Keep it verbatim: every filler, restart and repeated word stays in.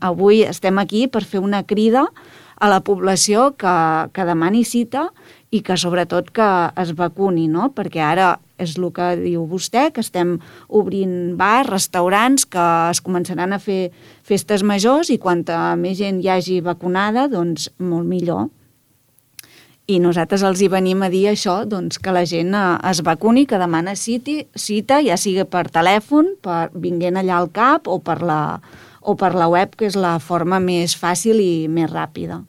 Avui estem aquí per fer una crida a la població que, que demani cita i que sobretot que es vacuni, no? Perquè ara és el que diu vostè, que estem obrint bars, restaurants, que es començaran a fer festes majors i quanta més gent hi hagi vacunada, doncs molt millor. I nosaltres els hi venim a dir això, doncs que la gent es vacuni, que demana cita, cita ja sigui per telèfon, per vinguent allà al cap o per la, o per la web, que és la forma més fàcil i més ràpida.